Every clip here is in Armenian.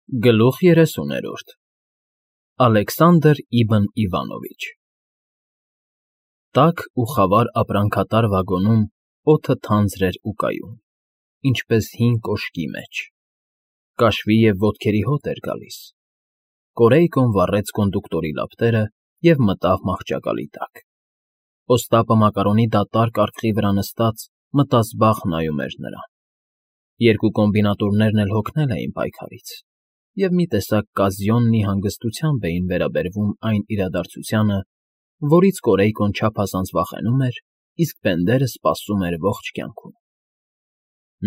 Գլուխ 30 Ալեքսանդր Իբն Իվանովիչ Տաք ու խավար ապրանքատար վագոնում օդը թանձր էր ու կայուն, ինչպես հին կոշկի մեջ, կաշվի և ոտքերի հոտ էր գալիս, Կորեյկոն վառեց կոնդուկտորի լապտերը և մտավ մահճակալի տակ, Օստապը մակարոնի դատարկ արկղի վրա նստած մտազբաղ նայում էր նրան, երկու կոմբինատորներն էլ հոգնել էին պայքարից, և մի տեսակ կազյոննի հանգստությամբ էին վերաբերվում այն իրադարձությանը, որից Կորեյկոն չափազանց վախենում էր, իսկ Բենդերը սպասում էր ողջ կյանքում։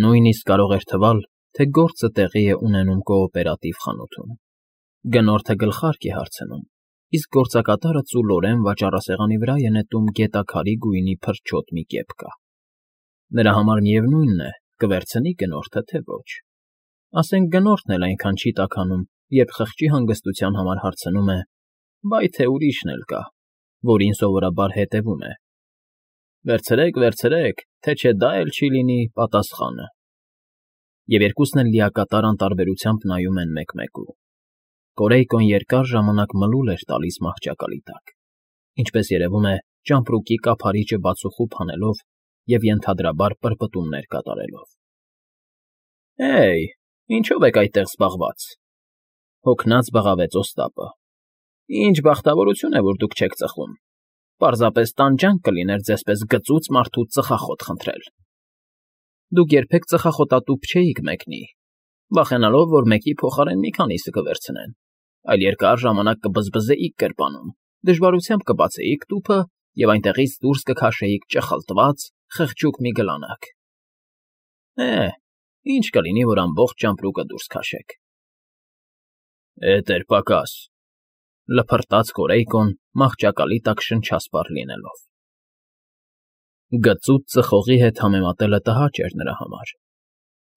Նույնիսկ կարող էր թվալ, թե գործը տեղի է ունենում կոոպերատիվ խանութում։ Գնորդը գլխարկ է հարցնում, իսկ գործակատարը ծուլորեն վաճառասեղանի վրա է նետում գետաքարի գույնի փրչոտ մի կեպկա։ Նրա համար միևնույն է, կվերցնի գնորդը, թե ոչ։ Ասենք գնորդն էլ այնքան չի տաքանում, երբ խղճի հանգստության համար հարցնում է. «Բայ թե ուրիշն էլ կա», որին սովորաբար հետևում է. «Վերցրեք, վերցրեք, թե չէ դա էլ չի լինի պատասխանը»։ Եվ երկուսն էլ լիակատար անտարբերությամբ նայում են մեկ֊մեկու։ Կորեյկոն երկար ժամանակ մլուլ էր տալիս մահճակալի տակ, ինչպես երևում է, ճամպրուկի կափարիչը բացուխուփ անելով և ենթադրաբար պրպտումներ կատարելով։ «Հեյ, ինչո՞վ եք այդտեղ զբաղված», հոգնած բղավեց Օստապը։ «Ինչ բախտավորություն է, որ դուք չեք ծխում, պարզապես տանջանք կլիներ ձեզպես գծուծ մարդուց ծխախոտ խնդրել։ Դուք երբեք ծխախոտատուփ չէիք մեկնի, վախենալով, որ մեկի փոխարեն մի քանիսը կվերցնեն, այլ երկար ժամանակ կբզբզեիք գրպանում, դժվարությամբ կբացեիք տուփը և այնտեղից դուրս կքաշեիք ճխլտված, խղճուկ մի գլանակ։ Ինչ կլինի, որ ամբողջ ճամպրուկը դուրս քաշեք»։ «Էդ էր պակաս», լփռտաց Կորեյկոն մահճակալի տակ շնչասպառ լինելով։ Գծուծ ծխողի հետ համեմատելը տհաճ էր նրա համար։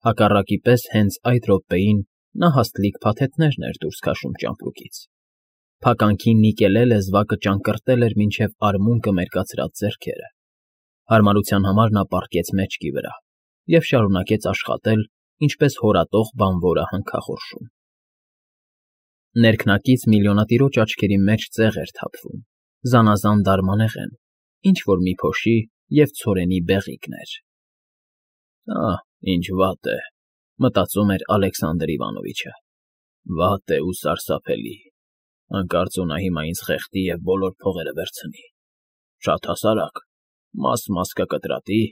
Հակառակի պես հենց այդ րոպեին նա հաստլիկ փաթեթներն էր դուրս քաշում ճամպրուկից։ Փականքի նիկելե լեզվակը ճանկռտել էր մինչև արմունկը մերկացրած ձեռքերը։ Հարմարության համար նա պառկեց մեջքի վրա և շարունակեց աշխատել, ինչպես հորատող բանվորը հանքախորշում։ Ներքնակից միլիոնատիրոջ աչքերի մեջ ծեղ էր թափվում, զանազան դարմանեղեն, ինչ֊որ մի փոշի և ցորենի բեղիկներ։ «Ինչ վատ է», մտածում էր Ալեքսանդր Իվանովիչը, «վատ է ու սարսափելի, հանկարծ նա հիմա ինձ խեղդի և բոլոր փողերը վերցնի, շատ հասարակ, մաս կկտրատի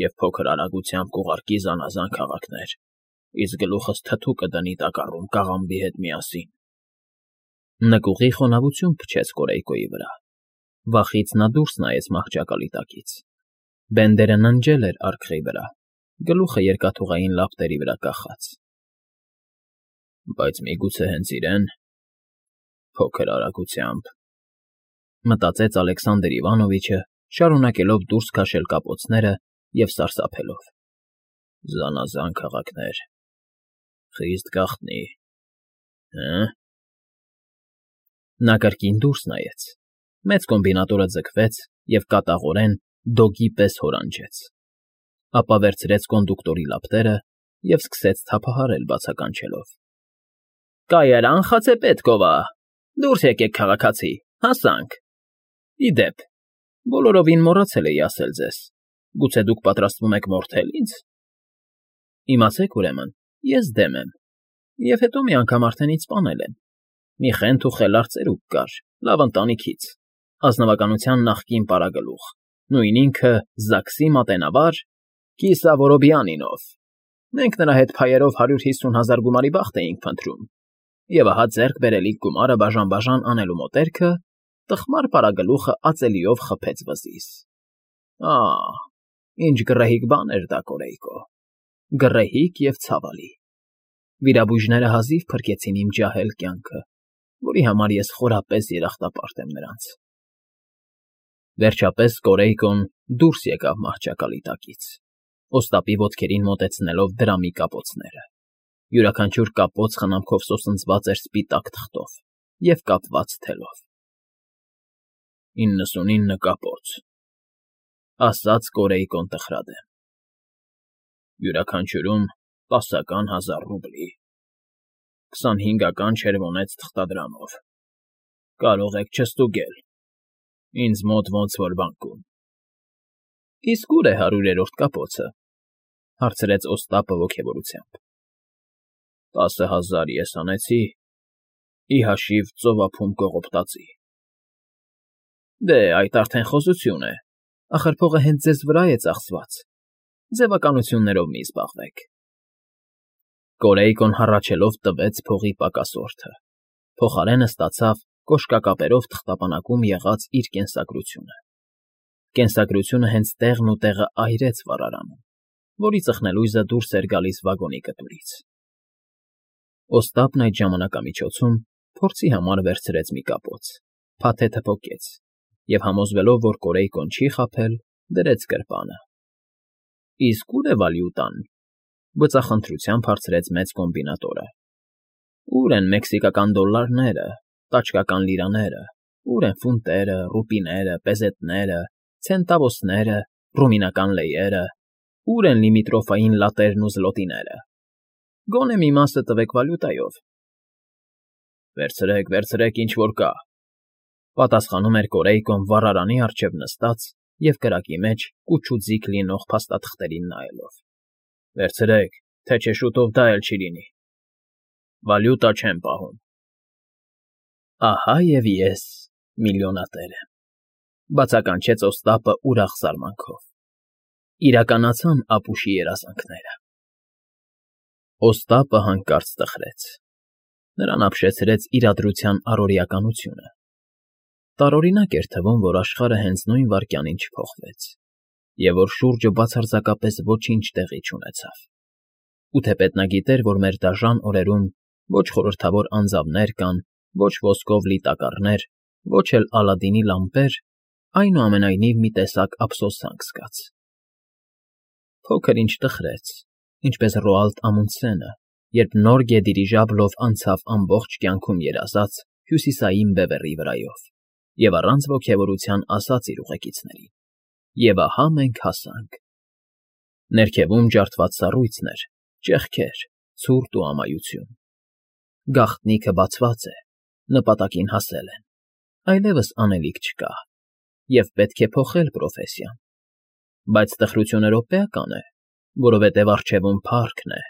և փոքր արագությամբ կուղարկի զանազան քաղաքներ, իսկ գլուխս թթու կդնի տակառում կաղամբի հետ միասին»։ Նկուղի խոնավություն փչեց Կորեյկոյի վրա։ Վախից նա դուրս նայեց մահճակալի տակից։ Բենդերը ննջել էր արկղի վրա, գլուխը երկաթուղային լապտերի վրա կախած։ «Բայց միգուցե հենց իրեն, փոքր արագությամբ», մտածեց Ալեքսանդր Իվանովիչը, շարունակելով դուրս քաշել կապոցները և սարսափելով։ «Զանազան քաղաքներ, խիստ գաղտնի, Նա կրկին դուրս նայեց։ Մեծ կոմբինատորը ձգվեց և կատաղորեն դոգի պես հորանջեց։ Ապա վերցրեց կոնդուկտորի լապտերը և սկսեց թափահարել բացականչելով. «Կայարան, Խացեպետկովա, դուրս եկեք, քաղաքացի, հասանք։ Ի դեպ, բոլորովին մոռացել էի ասել ձեզ, գուցե դուք պատրաստվում եք մորթել ինձ։ Իմացեք, ուրեմն, ես դեմ եմ, և հետո մի անգամ արդեն ինձ սպանել են։ Մի խենթ ու խելառ ծերուկ կար, լավ ընտանիքից, ազնվականության նախկին պարագլուխ, նույն ինքը ԶԱԳՍ֊ի մատենավար Կիսա Վորոբիանինով։ Մենք նրա հետ փայերով 150,000 գումարի բախտ էինք փնտրում, և ահա ձեռք բերելիք գումարը բաժան անելու մոտերքը տխմար պարագլուխը ածելիով խփեց վզից։ Ինչ գռեհիկ բան էր դա, Կորեյկո, գռեհիկ և ցավալի։ Վիրաբույժները հազիվ փրկեցին իմ ջահել կյանքը, որի համար ես խորապես երախտապարտ եմ նրանց»։ Վերջապես Կորեյկոն դուրս եկավ մահճակալի տակից, Օստապի ոտքերին մոտեցնելով դրամի կապոցները։ Յուրաքանչյուր կապոց խնամքով սոսնձված էր սպիտակ թղթով և կապված թելով։ 99 կապոց, ասաց Կորեյկոն տխրադեմ։ Յուրաքանչյուրում 10,000 ռուբլի, 25 չերվոնեց թղթադրանով։ Կարող եք չստուգել։ Ինձ մոտ ոնց որ բանկում։ Իսկ ուր է 100-րդ կապոցը, հարցրեց Օստապը ոգևորությամբ։ 10,000 ես անեցի, ի հաշիվ ծովափում կողոպտածի։ Դե, այդ արդեն խոզություն է, ախր փողը հենց ձեզ վրա է ծախսված, ձևականություններով մի զբաղվեք։ Կորեյկոն հառաչելով տվեց փողի պակասորդը, փոխարենը ստացավ կոշկակապերով թղթապանակում եղած իր կենսագրությունը։ Կենսագրությունը հենց տեղն ու տեղը այրեց վառարանում, որի ծխնելույզը դուրս էր գալիս վագոնի կտուրից։ Օստապն այդ ժամանակամիջոցում փորձի համար վերցրեց մի կապոց, փաթեթը պոկեց և համոզվելով, որ Կորեյկոն չի խաբել, դրեց գրպանը։ Իսկ ուր է վալյուտան, բծախնդրությամբ հարցրեց մեծ կոմբինատորը։ Ուր են մեքսիկական դոլլարները, տաճկական լիրաները, ուր են ֆունտերը, ռուպիները, պեզետները, ցենտավոսները, ռումինական լեյերը, ուր են լիմիտրոֆային լատերն ու զլոտիները։ Գոնե մի մասը տվեք վալյուտայով։ Վերցրեք, վերցրեք, ինչ որ կա, պատասխանում էր Կորեյկոն վառարանի առջև նստած և կրակի մեջ կուչուձիգ լինող փաստաթղթերին նայելով։ Վերցրեք, թե չէ շուտով դա էլ չի լինի։ Վալյուտա չեմ պահում։ Ահա և ես միլիոնատեր եմ, բացականչեց Օստապը ուրախ զարմանքով։ Իրականացան ապուշի երազանքները։ Օստապը հանկարծ տխրեց։ Նրան ապշեցրեց իրադրության առօրեականությունը։ Տարօրինակ էր թվում, որ աշխարհը հենց նույն վայրկյանին չփոխվեց, և որ շուրջը բացարձակապես ոչինչ տեղի չունեցավ։ Ու թեպետ նա գիտեր, որ մեր դաժան օրերում ոչ խորհրդավոր անձավներ կան, ոչ ոսկով լի տակառներ, ոչ էլ Ալադինի լամպեր, այնուամենայնիվ մի տեսակ ափսոսանք զգաց։ Փոքր-ինչ տխրեց, ինչպես Ռոալդ Ամունդսենը, երբ նոր գեդիրիժաբլով անցավ ամբողջ կյանքում երազած հյուսիսային բևեռի վրայով և առանց ոգևորության ասաց իր ուղեկիցներին. «Եվ ահա մենք հասանք»։ Ներքևում ջարդված սառույցն էր, ճեղքեր, ցուրտ ու ամայություն։ Գաղտնիքը բացված է, նպատակին հասել են, այլևս անելիք չկա, և պետք է փոխել պրոֆեսիան։ Բայց տխրությունը րոպեական է, որովհետև առջևում փառքն է,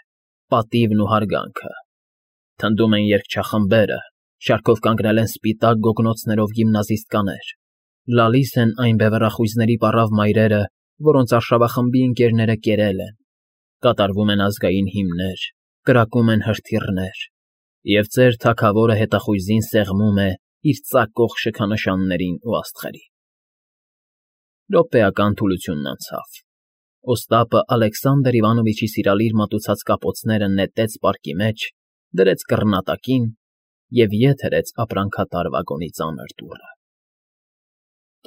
պատիվն ու հարգանքը։ Թնդում են երգչախմբերը, շարքով կանգնել են սպիտակ գոգնոցներով գիմնազիստկաներ, լալիս են այն բևեռախույզների պառավ մայրերը, որոնց արշավախմբի ընկերները կերել են, կատարվում են ազգային հիմներ, կրակում են հրթիռներ, և ծեր թագավորը հետախույզին սեղմում է իր ծակող շքանշաններին ու աստղերին։ Րոպեական թուլությունն անցավ։ Օստապը Ալեքսանդր Իվանովիչի սիրալիր մատուցած կապոցները նետեց պարկի մեջ, դրեց կռնատակին և ետ հրեց ապրանքատար վագոնի ծանր դուռը։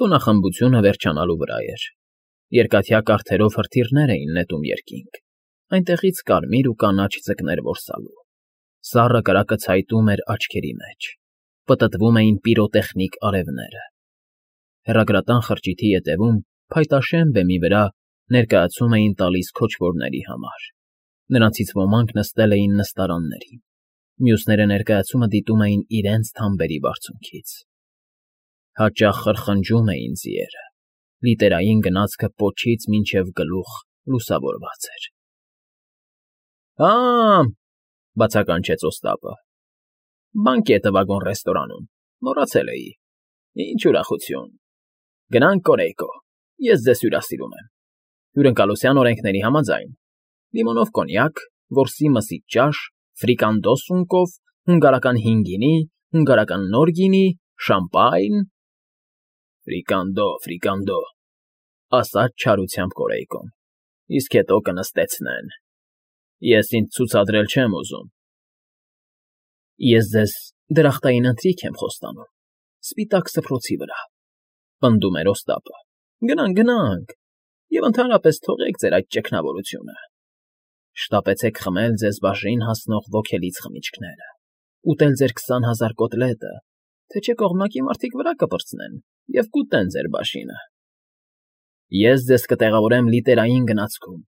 Տոնախմբությունը վերջանալու վրա էր։ Երկաթյա կարթերով հրթիռներ էին նետում երկինք, այնտեղից կարմիր ու կանաչ ձկներ որսալու։ Սառը կրակը ցայտում էր աչքերի մեջ, պտտվում էին պիրոտեխնիկ արևները։ Հեռագրատան խրճիթի ետևում, փայտաշեն բեմի վրա ներկայացում էին տալիս քոչվորների համար։ Նրանցից ոմանք նստել էին նստարաններին, մյուսները ներկայացումը դիտում էին իրենց թամբերի բարձունքից։ Հաճախ խրխնջում էին ձիերը, լիտերային գնացքը պոչից մինչև գլուխ լուսավորված էր։ «Հա՜,» բացականչեց Օստապը։ «Բանկետը վագոն֊ռեստորանում, մոռացել էի։ Ինչ ուրախություն։ Գնանք, Կորեյկո, ես ձեզ հյուրասիրում եմ։ Հյուրընկալության օրենքների համաձայն. լիմոնով կոնյակ, որսի մսից ճաշ, ֆրիկանդո սունկով, հունգարական հին գինի, հունգարական նոր գինի, շամպայն… Ֆրիկանդո, ասաց չարությամբ Կորեյկոն, իսկ հետո կնստեցնեն։ Ես ինձ ցուցադրել չեմ ուզում։ Ես ձեզ դրախտային ընթրիք եմ խոստանում, սպիտակ սփռոցի վրա, պնդում էր Օստապը։ Գնանք, և ընդհանրապես թողեք ձեր այդ ճգնավորությունը։ Շտապեցեք խմել ձեզ բաժին հասնող ոգելից խմիչքները, ուտել ձեր 20,000 կոտլետը, թե չէ կողմնակի մարդիկ վրա կպրծնեն և կուտեն ձեր բաժինը։ Ես ձեզ կտեղավորեմ լիտերային գնացքում,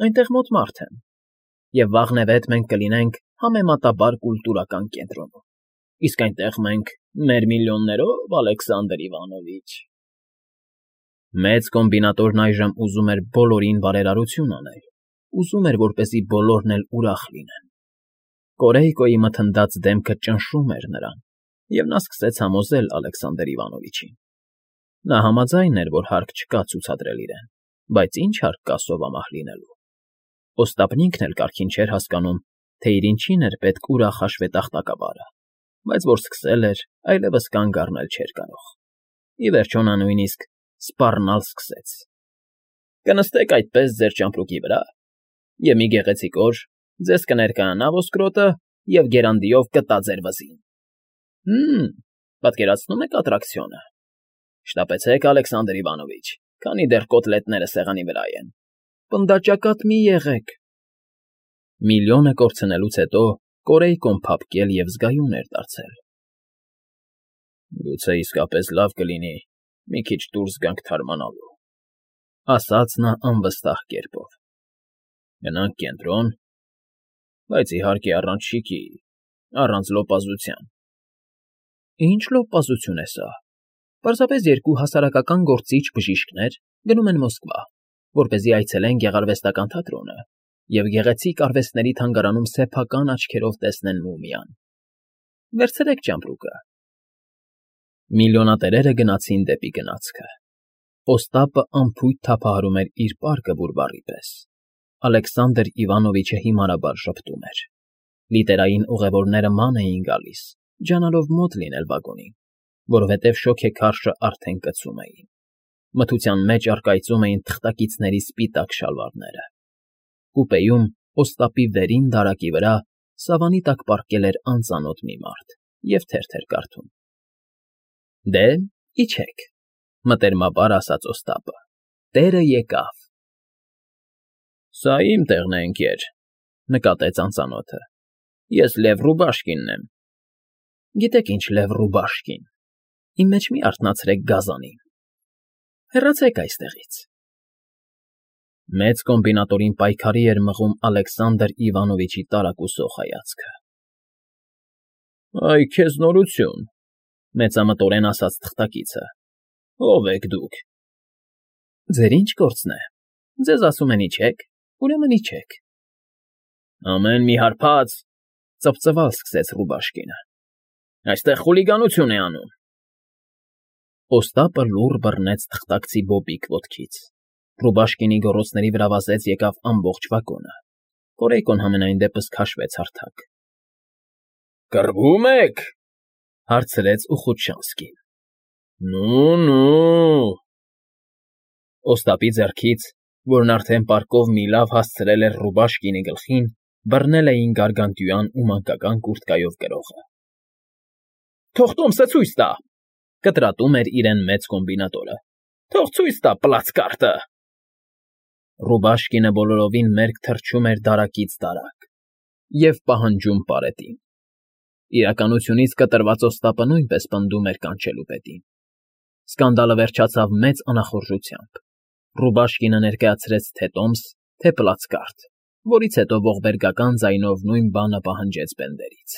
այնտեղ մոտ մարդ եմ, և վաղն է վետ մենք կլինենք համեմատաբար կուլտուրական կենտրոնում, իսկ այնտեղ մենք մեր միլիոններով, Ալեքսանդր Իվանովիչ… Մեծ կոմբինատորն այժմ ուզում էր բոլորին բարերարություն անել, ուզում էր, որպեսզի բոլորն էլ ուրախ լինեն։ Կորեյկոյի մթնդած դեմքը ճնշում էր նրան, և նա սկսեց համոզել Ալեքսանդր Իվանովիչին։ Նա համաձայն էր, որ հարկ չկա ցուցադրել իրեն, բայց ինչ հարկ կա սովամահ լինելու։ Օստապն ինքն էլ կարգին չէր հասկանում, թե իր ինչին էր պետք ուրախ հաշվետախտակաբարը, բայց որ սկսել էր, այլևս կանգ առնել չէր կարող։ Ի վերջո նա նույնիսկ սպառնալ սկսեց. «Կնստեք այդպես ձեր ճամպրուկի վրա, և մի գեղեցիկ օր ձեզ կներկայանա ոսկրոտը և գերանդիով կտա ձեր վզին… Պատկերացնում եք ատրակցիոնը… Շտապեցեք, Ալեքսանդր Իվանովիչ, քանի դեռ կոտլետները սեղանի վրա են… Պնդաճակատ մի եղեք…» Միլիոնը կորցնելուց հետո Կորեյկոն փափկել և զգայուն էր դարձել։ «Գուցե իսկապես լավ կլինի մի քիչ դուրս գանք թարմանալու,֊ ասաց նա անվստահ կերպով։ Գնանք կենտրոն, բայց իհարկե առանց շիկի, առանց լոպազության։ Ինչ լոպազություն է սա… Պարզապես երկու հասարակական գործիչ բժիշկներ գնում են Մոսկվա, որպեսզի այցելեն գեղարվեստական թատրոնը և գեղեցիկ արվեստների թանգարանում սեփական աչքերով տեսնեն մումիան… Վերցրեք ճամպրուկը… Միլիոնատերերը գնացին դեպի գնացքը։ Օստապը անփույթ թափահարում էր իր պարկը բուրբառի պես։ Ալեքսանդր Իվանովիչը հիմարաբար ժպտում էր։ Լիտերային ուղևորները ման էին գալիս, ջանալով մոտ լինել վագոնին, որովհետև շոգեքարշը արդեն կծում էին։ Մթության մեջ առկայծում էին թղթակիցների սպիտակ շալվարները։ Կուպեում Օստապի վերին դարակի վրա սավանի տակ պառկել էր անծանոթ մի մարդ և թերթ էր կարդում։ Դե, իջեք, մտերմաբար ասաց Օստապը, տերը եկավ։ Սա իմ տեղն է, ընկեր, նկատեց անծանոթը։ Ես Լև Ռուբաշկինն եմ։ Գիտեք ինչ, Լև Ռուբաշկին, իմ մեջ մի արթնացրեք գազանին… Հեռացեք այստեղից… Մեծ կոմբինատորին պայքարի էր մղում Ալեքսանդր Իվանովիչի տարակուսող հայացքը։ Այ քեզ նորություն, մեծամտորեն ասաց թղթակիցը։ Ո՞վ եք դուք։ Ձեր ինչ գործն է, ձեզ ասում են իջեք, ուրեմն իջեք… Ամեն մի հարբած, ծվծվալ սկսեց Ռուբաշկինը։ Այստեղ խուլիգանություն է անում… Օստապը լուռ բռնեց թղթակցի բոբիկ ոտքից։ Ռուբաշկինի գոռոցների վրա վազեց եկավ ամբողջ վագոնը։ Կորեյկոն համենայն դեպս քաշվեց հարթակ։ Կռվում եք,֊ հարցրեց Ուխուտշանսկին։ Նու… Օստապի ձեռքից, որն արդեն պարկով մի լավ հասցրել էր Ռուբաշկինի գլխին, բռնել էին գարգանտյուան ու մանկական կուրտկայով կրողը։ Թող տոմսը ցույց տա,֊ կտրատում էր իրեն մեծ կոմբինատորը։ Թող ցույց տա պլացկարտը… Ռուբաշկինը բոլորովին մերկ թռչում էր դարակից դարակ և պահանջում պարետին։ Իրականությունից կտրված Օստապը նույնպես պնդում էր կանչելու պետին։ Սկանդալը վերջացավ մեծ անախորժությամբ։ Ռուբաշկինը ներկայացրեց թե տոմս, թե պլացկարտ, որից հետո ողբերգական ձայնով նույն բանը պահանջեց բենդերից։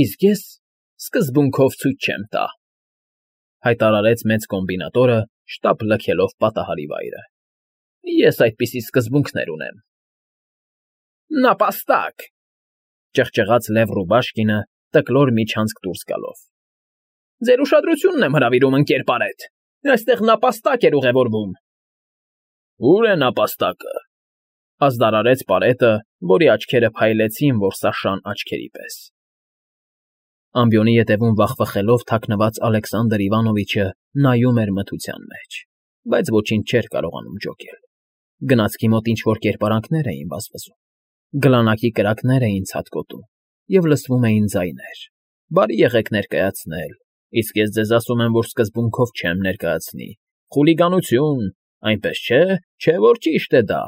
Իսկ ես սկզբունքով ցույց չեմ տա, հայտարարեց մեծ կոմբինատորը, շտապ լքելով պատահարի վայրը։ Ես այդպիսի սկզբունքներ ունեմ։ Նապաստակ,֊ ճղճղաց Լև Ռուբաշկինը, տկլոր միջանցք դուրս գալով։ Ձեր ուշադրությունն եմ հրավիրում, ընկեր Պարետ, այստեղ նապաստակ էր ուղևորվում։ Ո՞ւր է նապաստակը,֊ ազդարարեց Պարետը, որի աչքերը փայլեցին որսաշան աչքերի պես։ Ամբիոնի ետևում վախվխելով թաքնված Ալեքսանդր Իվանովիչը նայում էր մթության մեջ, բայց ոչինչ չէր կարողանում ջոկել։ Գնացքի մոտ ինչ֊որ կերպարանքներ էին վազվզում, գլանակի կրակներ էին ցատկոտում և լսվում էին ձայներ. Բարի եղեք ներկայացնել, իսկ ես ձեզ ասում եմ, որ սկզբունքով չեմ ներկայացնի, խուլիգանություն, այնպես չէ, որ ճիշտ է դա,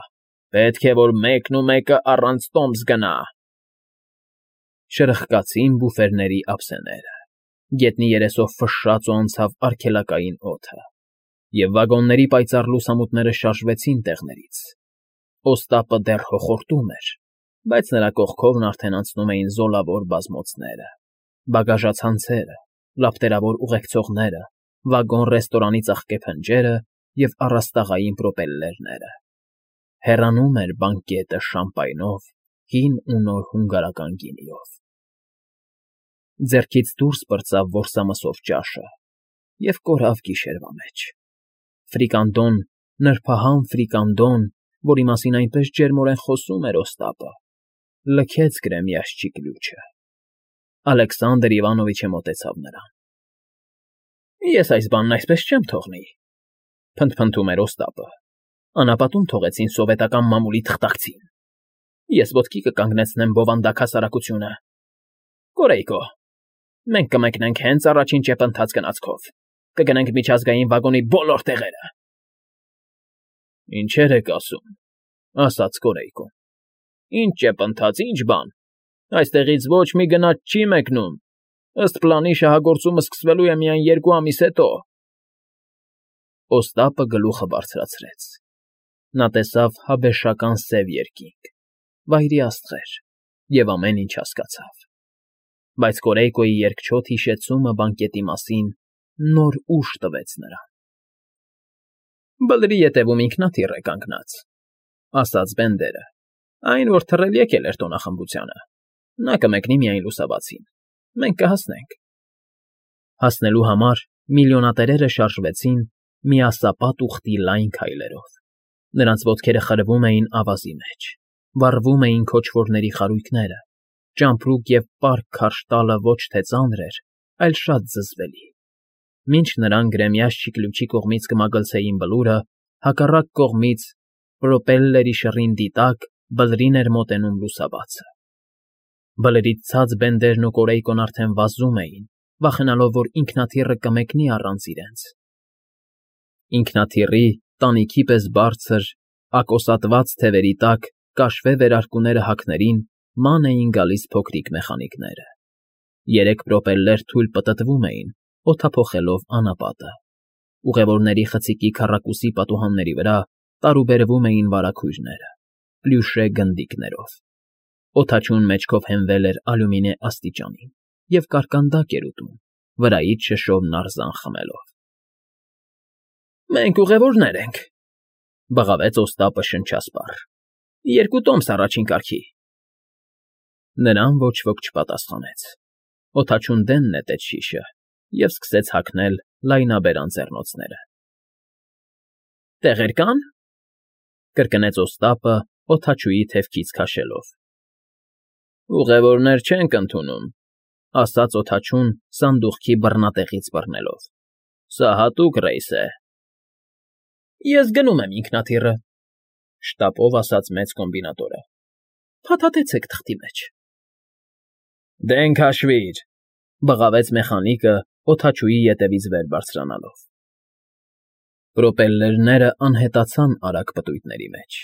պետք է, որ մեկն ու մեկը առանց տոմս գնա… Շրխկացին բուֆերների ափսեները, գետնի երեսով ֆշշաց ու անցավ արգելակային օդը, և վագոնների պայծառ լուսամուտները շարժվեցին տեղներից։ Օստապը դեռ հոխորտում էր, բայց նրա կողքովն արդեն անցնում էին զոլավոր բազմոցները, բագաժացանցերը, լապտերավոր ուղեկցողները, վագոն֊ռեստորանի ծաղկե փնջերը և առաստաղային պրոպելլերները։ Հեռանում էր բանկետը շամպայնով, հին ու նոր հունգարական գինիով։ Ձեռքից դուրս պրծավ որսամսով ճաշը և կորավ գիշերվա մեջ։ Ֆրիկանդոն, նրբահամ ֆրիկանդոն, որի մասին այնպես ջերմորեն խոսում էր Օստապը, լքեց գրեմյաշճի կլյուչը։ Ալեքսանդր Իվանովիչը մոտեցավ նրան։ Ես այս բանն այսպես չեմ թողնի, փնթփնթում էր Օստապը։ Անապատում թողեցին սովետական մամուլի թղթակցին։ Ես ոտքի կկանգնեցնեմ բովանդակ հասարակությունը։ Կորեյկո, մենք կմեկնենք հենց առաջին ճեպընթաց գնացքով, կգնենք միջազգային վագոնի բոլոր տեղերը։ Ինչեր եք ասում, ասաց Կորեյկոն։ Ինչ ճեպընթաց, ինչ բան։ Այստեղից ոչ մի գնաց չի մեկնում։ Ըստ պլանի շահագործումը սկսվելու է միայն 2 ամիս հետո։ Օստապը գլուխը բարձրացրեց։ Նա տեսավ հաբեշական սև երկինք, վայրի աստղեր և ամեն ինչ հասկացավ։ Բայց Կորեյկոյի երկչոտ հիշեցումը բանկետի մասին նոր ուժ տվեց նրան։ Բլրի ետևում ինքնաթիռ է կանգնած, ասաց Բենդերը, այն, որ թռել եկել էր տոնախմբությանը։ Նա կմեկնի միայն լուսաբացին։ Մենք կհասնենք։ Հասնելու համար միլիոնատերերը շարժվեցին միասապատ ուխտի լայն քայլերով։ Նրանց ոտքերը խրվում էին ավազի մեջ, վառվում էին քոչվորների խարույկները, ճամպրուկ և պարկ քարշ տալը ոչ թե ծանր էր, այլ շատ զզվելի։ Մինչ նրան գրեմյաշճի կլյուչի կողմից կմագլցեին բլուրը, հակառակ կողմից պրոպելլերի շռինդի տակ բլրին էր մոտենում լուսաբացը։ Բլրից ցած Բենդերն ու Կորեյկոն արդեն վազում էին, վախենալով, որ ինքնաթիռը կմեկնի առանց իրենց։ Ինքնաթիռի տանիքի պես բարձր, ակոսատված թևերի տակ կաշվե վերարկուները հագներին ման էին գալիս փոքրիկ մեխանիկները։ 3 պրոպելլեր թույլ պտտվում էին, օդափոխելով անապատը։ Ուղևորների խցիկի քառակուսի պատուհանների վրա տարուբերվում էին վարագույրները, պլյուշե գնդիկներով։ Օդաչուն մեջքով հենվել էր ալյումինե աստիճանին և կարկանդակ էր ուտում, վրայից շշով նարզան խմելով։ Մենք ուղևորներ ենք, բղավեց Օստապը շնչասպառ։ 2 տոմս առաջին կարգի։ Նրան ոչ ոք չպատասխանեց։ Օդաչուն դեն նետեց շիշը և սկսեց հագնել լայնաբերան ձեռնոցները։ Տեղեր կան, կրկնեց Օստապը օդաչուի թևքից քաշելով։ Ուղևորներ չենք ընդունում, ասաց օդաչուն սանդուղքի բռնատեղից բռնելով։ Սա հատուկ ռեյս է։ Ես գնում եմ ինքնաթիռը, շտապով ասաց մեծ կոմբինատորը։ Փաթաթեցեք թղթի մեջ։ Դեն քաշվիր, բղավեց մեխանիկը օդաչուի ետևից վեր բարձրանալով։ Պրոպելլերները անհետացան արագ պտույտների մեջ։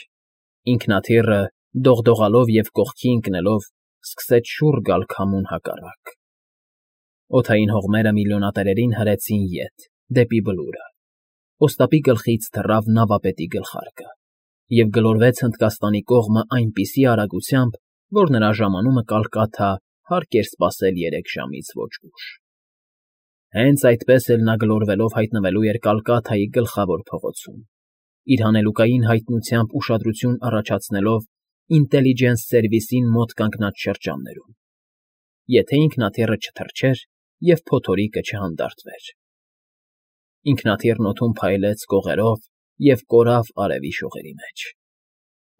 Ինքնաթիռը, դողդողալով և կողքի ընկնելով, սկսեց շուռ գալ քամուն հակառակ։ Օդային հողմերը միլիոնատերերին հրեցին ետ, դեպի բլուրը։ Օստապի գլխից թռավ նավապետի գլխարկը և գլորվեց Հնդկաստանի կողմը այնպիսի արագությամբ, որ նրա ժամանումը Կալկաթա հարկ էր սպասել 3 ժամից ոչ ուշ։ Հենց այդպես էլ նա գլորվելով հայտնվելու էր Կալկաթայի գլխավոր փողոցում, իր հանելուկային հայտնությամբ ուշադրություն առաջացնելով ինտելիջենս սերվիսին մոտ կանգնած շրջաններում, եթե ինքնաթիռը չթռչեր և փոթորիկը չհանդարտվեր։ Ինքնաթիռն օդում փայլեց կողերով և կորավ արևի շողերի մեջ։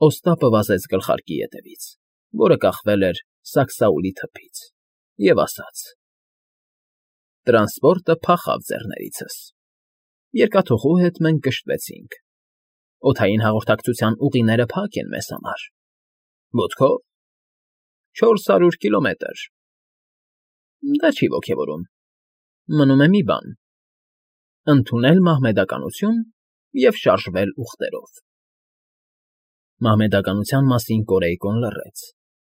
Օստապը վազեց գլխարկի ետևից, որը կախվել էր սաքսաուլի թփից, և ասաց. Տրանսպորտը փախավ ձեռներիցս։ Երկաթուղու հետ մենք կշտվեցինք։ Օդային հաղորդակցության ուղիները փակ են մեզ համար։ Ոտքով 400 կիլոմետր։ Դա չի ոգևորում։ Մնում է մի բան. ընդունել մահմեդականություն և շարժվել ուղտերով։ Մահմեդականության մասին Կորեյկոն լռեց,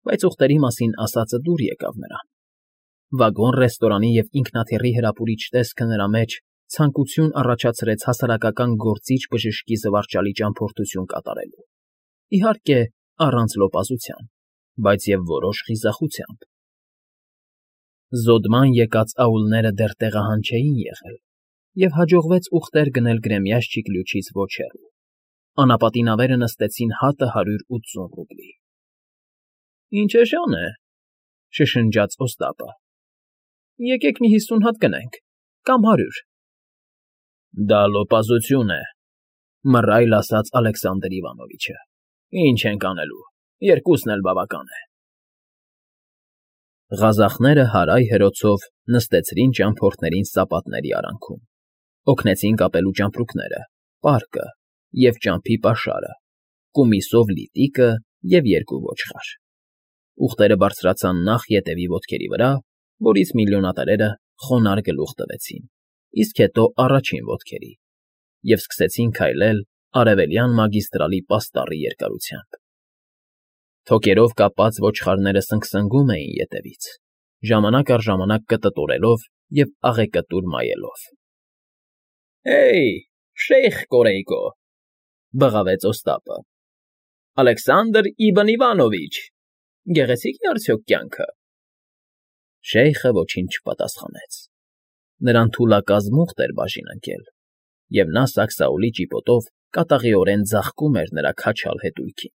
բայց ուղտերի մասին ասածը դուր եկավ նրան։ Վագոն֊ռեստորանի և ինքնաթիռի հրապուրիչ տեսքը նրա մեջ ցանկություն առաջացրեց հասարակական գործիչ բժշկի զվարճալի ճամփորդություն կատարելու։ Իհարկե, առանց լոպազության, բայց և որոշ խիզախությամբ։ Զոդման եկած աուլները դեռ տեղահան չէին եղել, և հաջողվեց ուղտեր գնել Գրեմյաշճիկ լյուչից ոչ հեռու։ Անապատի նավերը նստեցին հատը 180 ռուբլի։ ֊ Ինչ էժան է,֊ շշնջաց Օստապը։ ֊ Եկեք մի 50 հատ գնենք, կամ 100։ ֊ Դա լոպազություն է,֊ մռայլ ասաց Ալեքսանդր Իվանովիչը։ ֊ Ինչ ենք անելու, երկուսն էլ բավական է։ Ղազախները հարայ֊հրոցով նստեցրին ճամփորդներին սապատների արանքում, օգնեցին կապելու ճամպրուկները, պարկը և ճամփի պաշարը, կումիսով լիտիկը և 2 ոչխար։ Ուղտերը բարձրացան նախ ետևի ոտքերի վրա, որից միլիոնատերերը խոնարհ գլուխ տվեցին, իսկ հետո առաջին ոտքերի և սկսեցին քայլել Արևելյան մագիստրալի պաստառի երկարությամբ։ Թոկերով կապած ոչխարները սնգսնգում էին ետևից, ժամանակ առ ժամանակ կտտորելով և աղեկտուր մայելով։ ֊ Հեյ, Շեյխ Կորեյկո,֊ բղավեց Օստապը,֊ Ալեքսանդր Իբն Իվանովիչ, գեղեցիկ է արդյոք կյանքը։ Շեյխը ոչինչ չպատասխանեց։ Նրան թուլակազմ ուղտ էր բաժին ընկել, և նա սաքսաուլի ճիպոտով կատաղիորեն ձաղկում էր նրա քաչալ հետույքին։